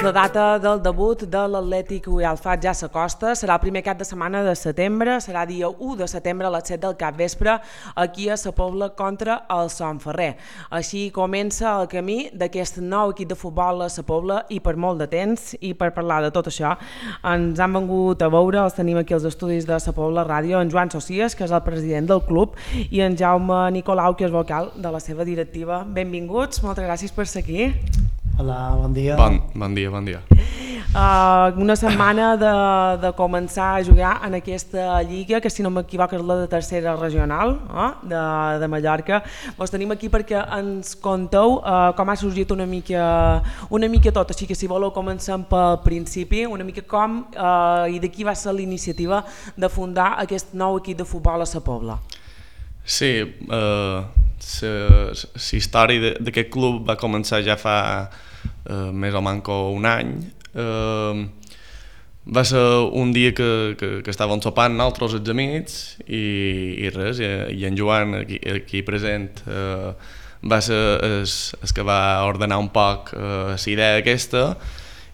La data del debut de l'Atlètic Alfat ja s'acosta, serà el primer cap de setmana de setembre, serà dia 1 de setembre a les 7 del capvespre aquí a Sa Pobla contra el Son Ferrer. Així comença el camí d'aquest nou equip de futbol a Sa Pobla i per molt de temps, i per parlar de tot això ens han vengut a veure, els tenim aquí als estudis de Sa Pobla Ràdio, en Joan Socias, que és el president del club, i en Jaume Nicolau, que és vocal de la seva directiva. Benvinguts, moltes gràcies per ser aquí. Hola, bon dia. Bon dia. Una setmana de començar a jugar en aquesta lliga, que si no m'equivoco és la de tercera regional de Mallorca. Vos tenim aquí perquè ens conteu com ha sorgit una mica tot, així que si voleu comencem pel principi, una mica com i de qui va ser la iniciativa de fundar aquest nou equip de futbol a Sa Pobla. Sí, la història d'aquest club va començar ja fa més o manco un any. Va ser un dia que estàvem sopant nosaltres els amics i res, i en Joan aquí present va ser el que va ordenar un poc la idea aquesta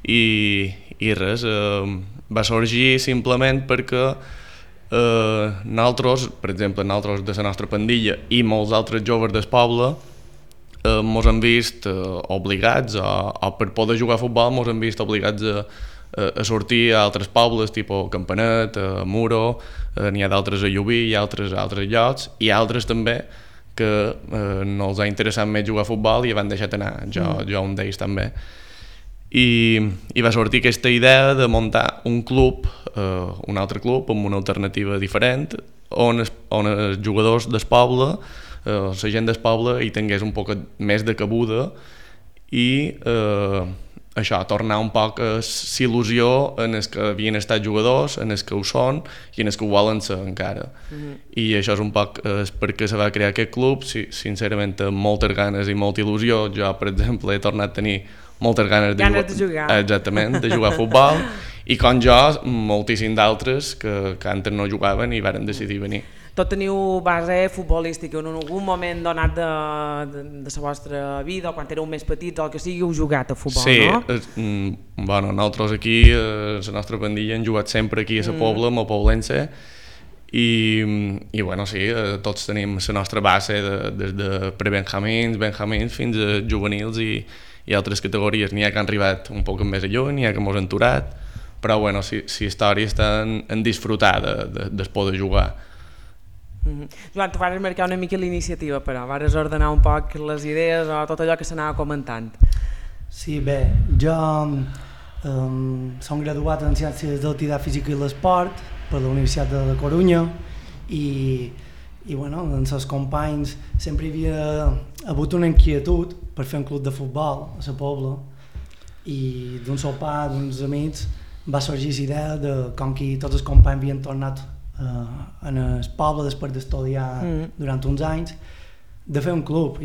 i res, va sorgir simplement perquè nosaltres, per exemple, nosaltres de la nostra pandilla i molts altres joves del poble mos han vist obligats, o per poder jugar a futbol mos han vist obligats a sortir a altres pobles, tipus Campanet, Muro, n'hi ha d'altres a Llubí i altres a altres llocs, i altres també que no els ha interessat més jugar a futbol i van deixat anar, jo un d'ells també. I va sortir aquesta idea de muntar un club, un altre club amb una alternativa diferent, on els jugadors del poble, la gent del poble hi tingués un poc més de cabuda i això, tornar un poc l'il·lusió en els que havien estat jugadors, en els que ho són i en els que ho volen ser encara. I això és un poc per què se va crear aquest club, sincerament amb moltes ganes i molta il·lusió. Jo, per exemple, he tornat a tenir moltes ganes de jugar. Exactament, de jugar a futbol, i com jo, moltíssim d'altres que antes no jugaven i varen decidir venir. Tot teniu base futbolística, en algun moment donat de la vostra vida, o quan éreu més petits, o el que sigui, heu jugat a futbol, no? Sí, nosaltres aquí, la nostra pandilla, hem jugat sempre aquí a Sa Pobla, amb el poblense, i sí, tots tenim la nostra base des de prebenjamins, benjamins, fins a juvenils i altres categories. N'hi ha que han arribat un poc més lluny, n'hi ha que mos han aturat, però la història està en disfrutar de poder jugar. Joan, tu vas marcar una mica l'iniciativa, però vas ordenar un poc les idees o tot allò que s'anava comentant. Sí, bé, jo som graduat en Ciències de l'Activitat Física i l'Esport per la Universitat de la Corunya i amb els companys sempre hi havia hagut una inquietud per fer un club de futbol a Sa Pobla, i d'un sopar d'uns amics va sorgir la idea de com que tots els companys havien tornat en el poble després d'estudiar durant uns anys, de fer un club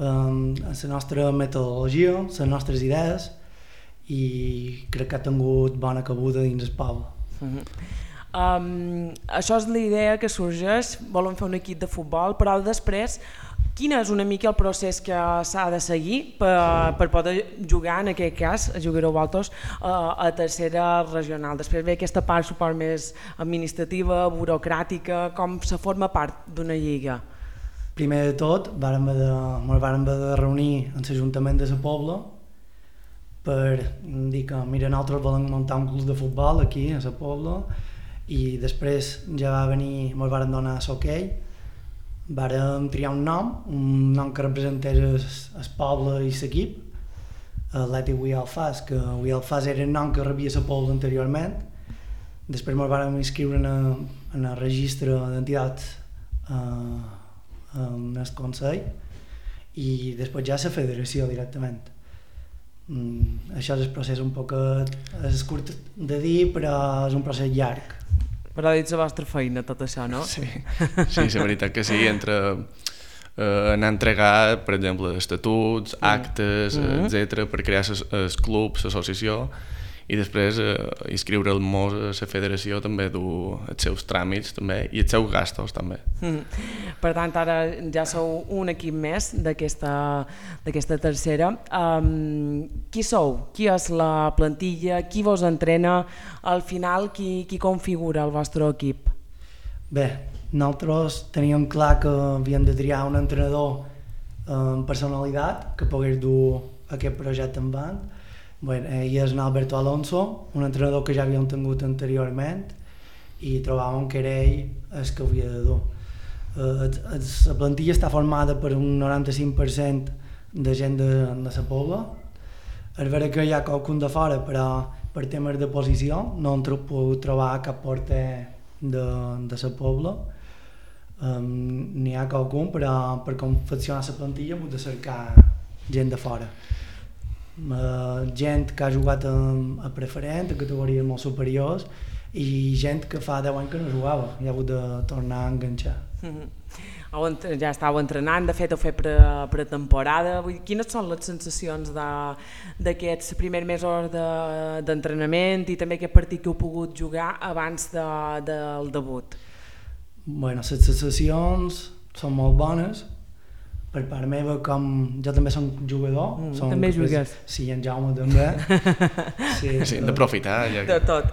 amb la nostra metodologia, les nostres idees, i crec que ha tingut bona cabuda dins el poble. Això és la idea que sorgeix, volen fer un equip de futbol, però després quin és una mica el procés que s'ha de seguir per poder jugar, en aquest cas, jugareu vosaltres, a tercera regional? Després ve aquesta part, suport més administrativa, burocràtica, com se forma part d'una lliga? Primer de tot, ens vàrem haver de reunir en l'Ajuntament de Sa Pobla per dir que, mira, nosaltres volem muntar un club de futbol aquí a Sa Pobla, i després ja va venir, ens varen donar l'okei. Vàrem triar un nom que representés el poble i l'equip, Atlètic Alfàs, que Alfàs era el nom que rebia Sa Pobla anteriorment. Després ens vàrem inscriure en el registre d'entitats en el Consell, i després ja la federació directament. Això és el procés un poc curt de dir, però és un procés llarg. Però dins la vostra feina, tot això, no? Sí, la veritat que sí, entre anar a entregar, per exemple, estatuts, actes, etc., per crear el club, l'associació, i després inscriure-nos a la federació també du els seus tràmits també i els seus gastos també. Per tant, ara ja sou un equip més d'aquesta tercera. Qui sou? Qui és la plantilla? Qui vos entrena? Al final, qui configura el vostre equip? Bé, nosaltres teníem clar que havíem de triar un entrenador amb personalitat que pogués dur aquest projecte endavant. Ell és Alberto Alonso, un entrenador que ja havíem tingut anteriorment i trobàvem que era ell el que havia de dur. La plantilla està formada per un 95% de gent de la Pobla. És vera que hi ha qualcun de fora, però per temes de posició no hem pogut trobar cap porter de la Pobla. N'hi ha qualcun, però per confeccionar la plantilla hem de cercar gent de fora. Gent que ha jugat a preferent, a categories molt superiors, i gent que fa 10 anys que no jugava i ha hagut de tornar a enganxar. Ja estàveu entrenant, de fet heu fet pretemporada. Quines són les sensacions d'aquests primers mesos d'entrenament i també aquest partit que heu pogut jugar abans del debut? Les sensacions són molt bones. Per part meva, com jo també soc jugador. També jugues. Sí, en Jaume també. Sí, hem d'aprofitar. De tot.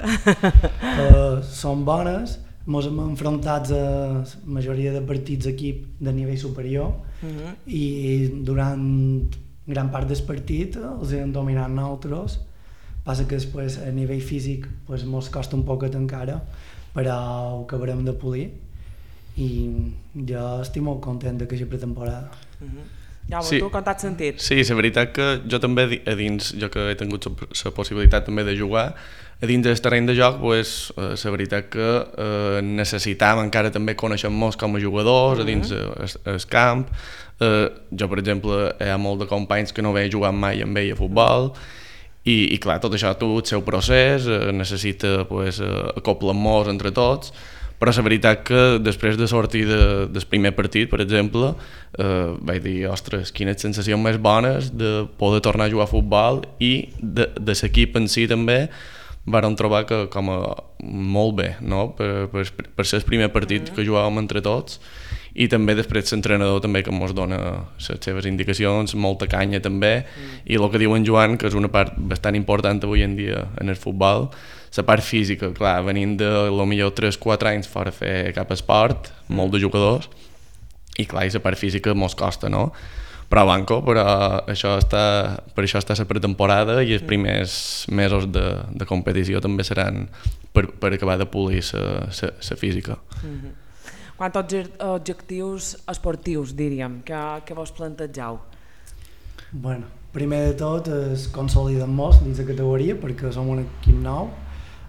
Són bones. Ens hem enfrontat a la majoria de partits d'equip de nivell superior i durant gran part del partit els hem dominat nosaltres. Passa que després a nivell físic ens costa un poquet encara, però ho acabarem de polir i jo estic molt content d'aquesta pretemporada. Jaume, sí. Tu com t'has sentit? Sí, la veritat que jo també a dins, jo que he tingut la possibilitat també de jugar, a dins del terreny de joc, la veritat que necessitàvem encara també conèixer-nos com a jugadors, a dins el camp. Jo, per exemple, hi ha molt de companys que no havia jugat mai amb ell a futbol, i clar, tot això té el seu procés, necessita acoplar-nos entre tots, però la veritat que després de sortir del primer partit, per exemple, vaig dir, ostres, quines sensacions més bones de poder tornar a jugar a futbol i de l'equip en si també vàrem trobar que com a molt bé, no? per ser el primer partit que jugàvem entre tots i també després l'entrenador també que ens dona les seves indicacions, molta canya també i el que diu en Joan, que és una part bastant important avui en dia en el futbol, la part física, clar, venint de potser 3-4 anys fora a fer cap esport, molt de jugadors, i clar, i la part física mos costa, no? Però per això està la pretemporada i els primers mesos de competició també seran per acabar de polir la física. Quants objectius esportius, diríem, que vos plantegeu? Primer de tot és consolidar-nos dins la categoria perquè som un equip nou,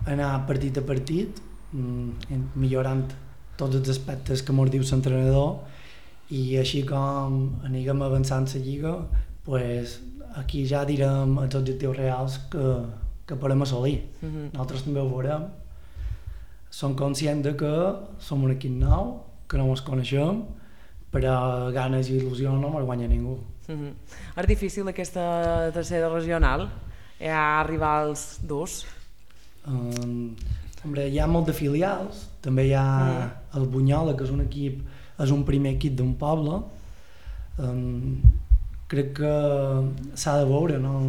anar partit a partit, millorant tots els aspectes que ens diu l'entrenador i així com anirem avançant la lliga, aquí ja direm els objectius reals que podem assolir. Nosaltres també ho veurem. Som conscients que som un equip nou, que no ens coneixem, però ganes i il·lusió no ens guanya ningú. És difícil aquesta tercera regional? Hi ha rivals durs? Hi ha molt de filials, també hi ha el Bunyola, que és un primer equip d'un poble. Crec que s'ha de veure, no?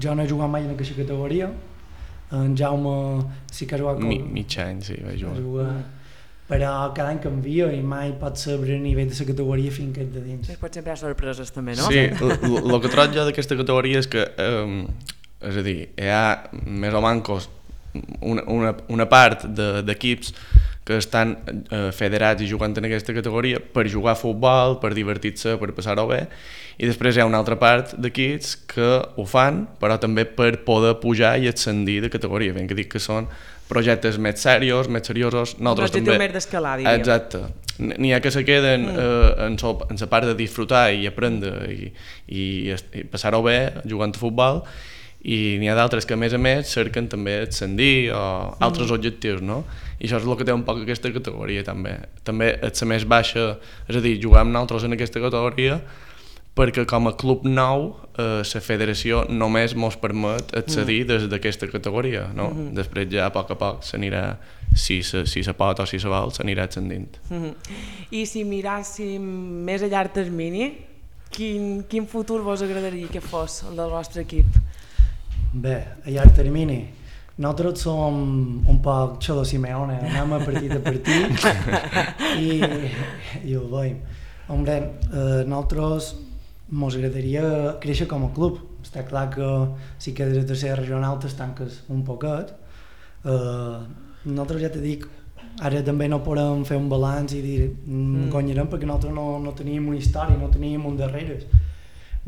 Jo no he jugat mai en aquesta categoria, en Jaume sí que ha jugat mig any, sí, vaig jugar. Però cada any canvia i mai pots saber a nivell de la categoria fins que ets de dins. Pot sempre hi ha sorpreses també, no? Sí, el que trobo jo d'aquesta categoria és que és a dir, hi ha més o menys una part d'equips que estan federats i jugant en aquesta categoria per jugar a futbol, per divertir-se, per passar-ho bé, i després hi ha una altra part d'equips que ho fan, però també per poder pujar i ascendir de categoria. Ben que dic que són projectes més seriosos. L'objectiu més d'escalar, diríem. Exacte. N'hi ha que se queden en la part de disfrutar i aprendre i passar-ho bé jugant a futbol, i n'hi ha d'altres que a més cerquen també ascendir o altres objectius, no? I això és el que té un poc aquesta categoria també. També és la més baixa, és a dir, jugar amb nosaltres en aquesta categoria perquè com a club nou la federació només mos permet accedir des d'aquesta categoria, no? Després ja a poc s'anirà, si se pot o si se vol, s'anirà ascendint. I si miràssim més a llarg termini, quin futur vos agradaria que fos el del vostre equip? Bé, a llarg termini, nosaltres som un poc Xolo Simeone, anem a partit i ho veiem. Hombre, nosaltres mos agradaria créixer com a club. Està clar que si quedes a tercera regional t'estanques un poquet. Nosaltres ja t'he dit, ara també no podem fer un balanç i dir guanyarem perquè nosaltres no teníem una història, no teníem un darrere.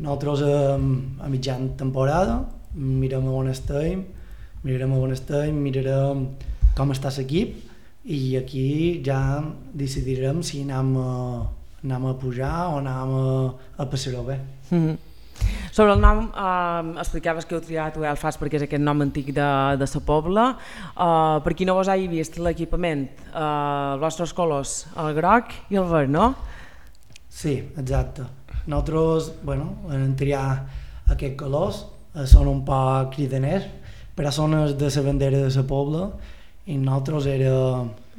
Nosaltres a mitjan temporada mirem on estem, mirarem com està l'equip i aquí ja decidirem si anem a pujar o anem a passar-ho bé. Sobre el nom, explicaves que heu triat Belfast perquè és aquest nom antic de la Pobla. Per qui no vos hagi vist l'equipament, els vostres colors, el groc i el verd, no? Sí, exacte. Nosaltres, vam triar aquests colors, són un poc cridaners, però són els de la bandera de la Pobla i nosaltres era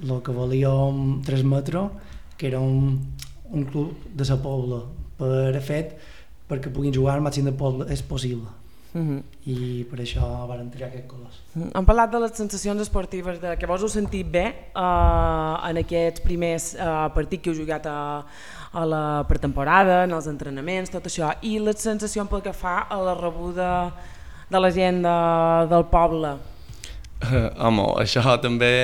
el que volíem transmetre, que era un club de la Pobla, perquè puguin jugar al màxim de poble és possible. I per això vam triar aquests colors. Hem parlat de les sensacions esportives, de que vos heu sentit bé en aquests primers partits que heu jugat a la pretemporada, en els entrenaments, tot això, i la sensació pel que fa a la rebuda de la gent del poble. Home, això també,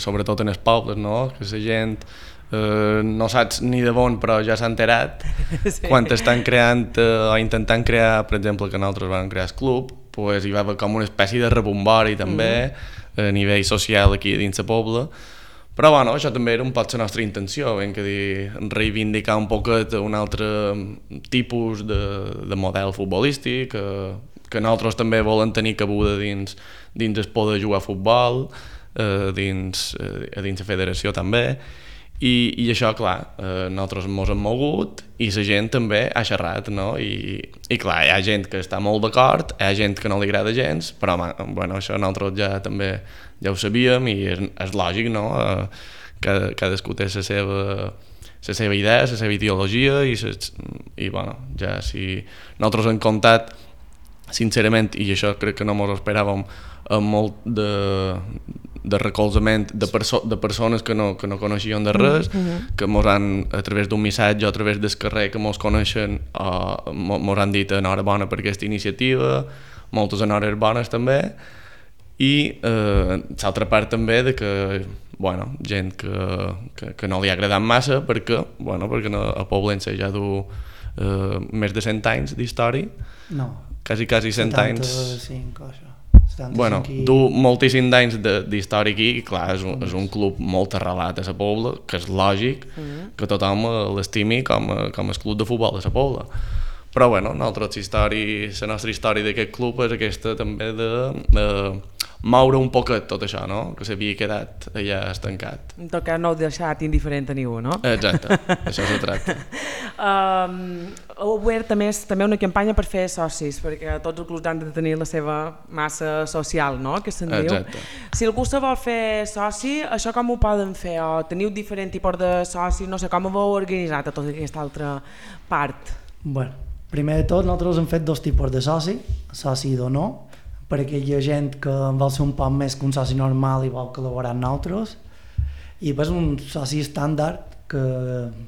sobretot en els pobles, no? Que la gent no saps ni de bon però ja s'ha enterat. Sí. Quan estan creant o intentant crear, per exemple, que nosaltres vam crear el club, pues hi va haver com una espècie de rebombori també a nivell social aquí dins la Pobla, però bueno, això també era un poc la nostra intenció, ben que dir, reivindicar un poquet un altre tipus de model futbolístic, que nosaltres també volem tenir cabuda dins el poder jugar a futbol, dins la federació també. I això, clar, nosaltres ens hem mogut i la gent també ha xerrat, no? I clar, hi ha gent que està molt d'acord, hi ha gent que no li agrada gens, però bueno, això nosaltres ja ho sabíem i és lògic, no? Cadascú té la seva idea, la seva ideologia i bueno, ja si nosaltres hem comptat, sincerament, i això crec que no ens ho esperàvem, molt de recolzament de persones que no coneixien de res, que mos han, a través d'un missatge o a través del carrer que mos coneixen, mos han dit enhorabona per aquesta iniciativa, moltes enhores bones també, i l'altra part també de que gent que no li ha agradat massa perquè a Poblense ja du més de 100 anys d'història, quasi 100 anys. 75 o això. Du moltíssims anys d'història aquí i clar, és un club molt arrelat a la Pobla, que és lògic que tothom l'estimi com el club de futbol de la Pobla. Però la nostra història d'aquest club és aquesta també de moure un poquet tot això, no? Que s'havia quedat allà estancat. En tot cas no heu deixat indiferent a ningú, no? Exacte, això se tracta. Heu obert també una campanya per fer socis, perquè tots els clubs han de tenir la seva massa social, no? Que se'n diu. Exacte. Si algú se vol fer soci, això com ho poden fer? O teniu diferent tipus de socis? No sé, com ho heu organitzat a tota aquesta altra part? Bueno, primer de tot, nosaltres hem fet dos tipus de soci d'honor, per aquella gent que vol ser un poc més que un soci normal i vol col·laborar amb nosaltres, i després un soci estàndard, que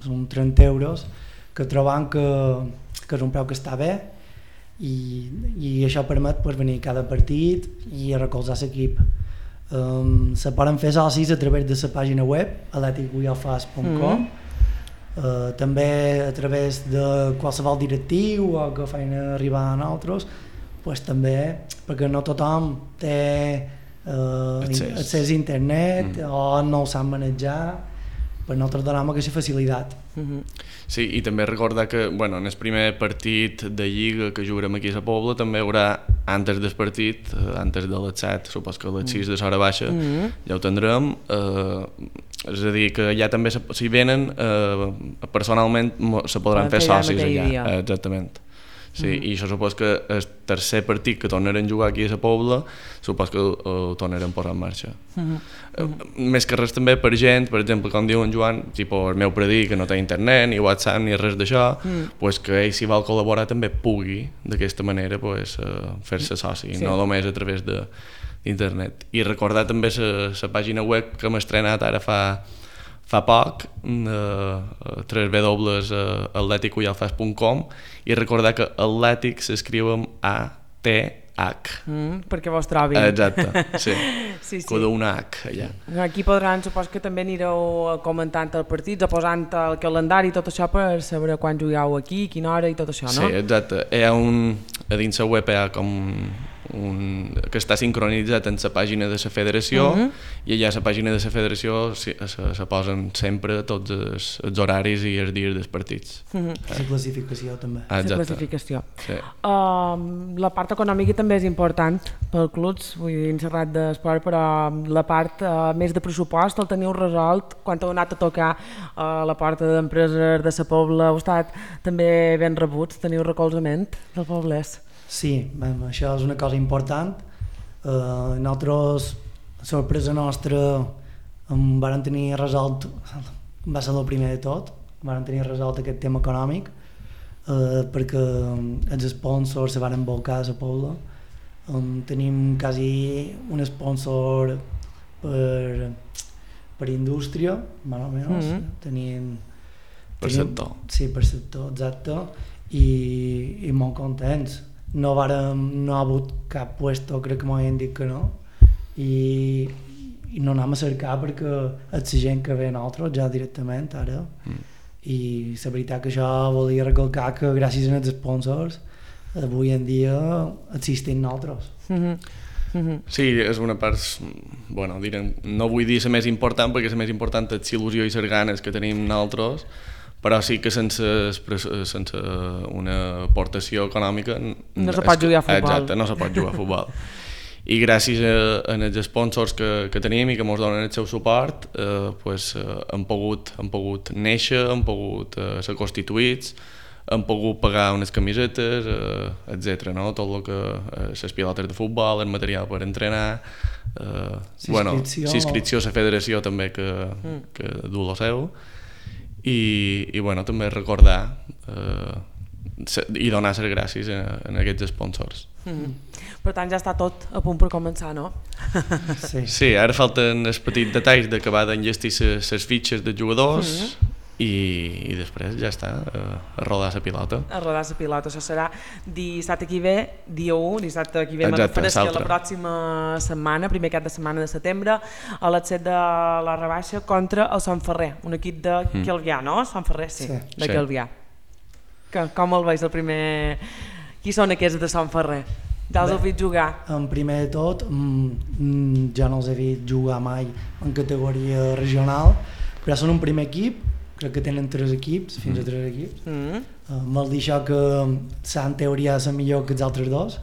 són 30 euros, que trobam que és un preu que està bé, i això permet venir a cada partit i a recolzar l'equip. Se poden fer socis a través de la pàgina web atleticguialfas.com, també a través de qualsevol directiu o que feien arribar a nosaltres, també perquè no tothom té accés a internet o no ho sap manejar, per nosaltres donem aquesta facilitat. Sí, i també recordar que en el primer partit de Lliga que jugarem aquí a la Pobla també hi haurà, antes del partit, antes de les 7, supos que a les 6 de l'hora baixa, ja ho tindrem, és a dir, que ja també si venen personalment se podran fer socis allà, exactament. Sí, i això supos que el tercer partit que tornarem a jugar aquí a la Pobla supos que ho tornarem a posar en marxa. Més que res també per gent, per exemple, com diu en Joan, el meu predí que no té internet, ni WhatsApp, ni res d'això, pues que ell, si vol col·laborar, també pugui d'aquesta manera fer-se soci, no només a través d'internet. I recordar també la pàgina web que hem estrenat ara fa poc, www.atleticuyalfas.com, i recordar que Atlètic s'escriu amb A-T-H. Perquè vos trobin. Exacte, sí. Sí. Que d'una H allà. Aquí podran, supos que també anireu comentant els partits o posant el calendari i tot això per saber quan jugueu aquí, quina hora i tot això, no? Sí, exacte. A dins la web hi ha com que està sincronitzat en la pàgina de la federació, i allà a la pàgina de la federació se posen sempre tots els horaris i els dies dels partits. La classificació també. La classificació. Sí. La part econòmica també és important pel clubs, vull dir, en xerrat d'esport, però la part més de pressupost el teniu resolt quan heu anat a tocar a la porta d'empreses de la Pobla, heu estat també ben rebuts, teniu recolzament del poblès? Sí, això és una cosa important. Nosaltres, sorpresa nostra, vàrem tenir resolt, va ser el primer de tot, vàrem tenir resolt aquest tema econòmic, perquè els sponsors se van volcar a la Pobla. Tenim quasi un sponsor per indústria, més o menys. Per sector. Sí, per sector, exacte, i molt contents. No ha hagut cap puesto, crec que m'havien dit que no, i no anem a cercar perquè és la gent que ve a nosaltres ja directament ara, i la veritat que això volia recalcar que gràcies als sponsors avui en dia existim nosaltres. Sí, és una part, bueno, no vull dir la més important perquè la més important és l'il·lusió i les ganes que tenim nosaltres, però sí que sense una aportació econòmica no se pot jugar a futbol. Exacte, no se pot jugar a futbol. I gràcies als sponsors que tenim i que ens donen el seu suport, hem pogut néixer, hem pogut ser constituïts, hem pogut pagar unes camisetes, etc. No? Tot el que les pilotes de futbol, el material per entrenar, l'inscripció a la federació també que du el seu, i també recordar i donar les gràcies a aquests sponsors. Per tant ja està tot a punt per començar, no? Sí, ara falten els petits detalls d'acabar d'enllestir les fitxes de jugadors i després ja està, a rodar la pilota. A rodar la pilota, això serà dissabte aquí ve, dia 1, dissabte aquí ve, me refereixo a la pròxima setmana, primer cap de setmana de setembre, a les 7 de la rebaixa contra el Sant Ferrer, un equip de Calvià, no? Sant Ferrer, sí, de Calvià. Com el veus el primer? Qui són aquests de Sant Ferrer? Ja els heu vist jugar? En primer de tot, ja no els he vist jugar mai en categoria regional, però són un primer equip, crec que tenen 3 equips, fins a 3 equips. Vol dir això que en teoria és millor que els altres dos.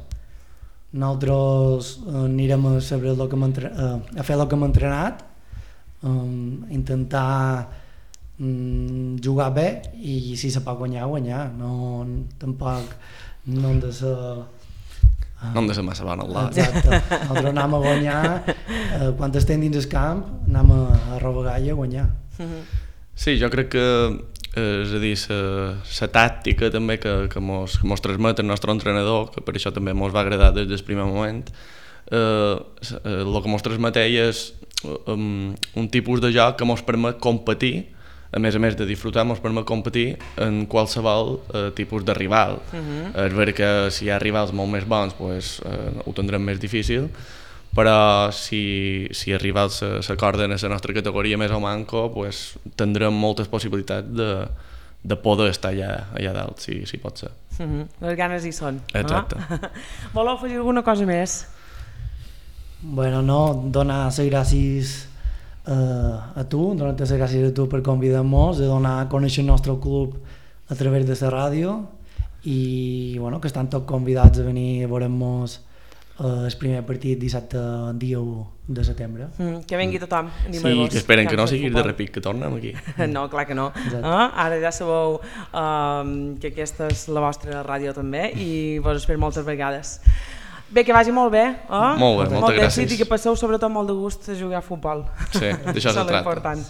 Nosaltres anirem a fer el que hem entrenat, intentar jugar bé, i si se pot guanyar. Tampoc no hem de ser... No hem de ser massa bon al lot. Exacte, nosaltres anem a guanyar, quan estem dins el camp anem a robar i a guanyar. Sí, jo crec que és a dir, la tàctica també que mos transmet el nostre entrenador, que per això també mos va agradar des del primer moment, el que mos transmet ell és un tipus de joc que mos permet competir, a més de disfrutar, mos permet competir en qualsevol tipus de rival. És veritat que si hi ha rivals molt més bons ho tindrem més difícil, però si els rivals s'acorden a la nostra categoria més o manco, tindrem moltes possibilitats de poder estar allà dalt, si pot ser. Les ganes hi són. Exacte. Voleu afegir alguna cosa més? Bueno, donar les gràcies a tu, donar-te les gràcies a tu per convidar-nos, de donar a conèixer el nostre club a través de la ràdio, i que estan tots convidats a venir a veure-nos el primer partit dissabte dia 1 de setembre. Que vengui tothom, Sí, que esperen que no sigui de repic, que tornem aquí. No, clar que no. Ara ja sabeu que aquesta és la vostra ràdio també i vos espero moltes vegades. Bé, que vagi molt bé. Molt bé, moltes gràcies. I que passeu sobretot molt de gust a jugar a futbol. Sí, d'això se tracta. Important.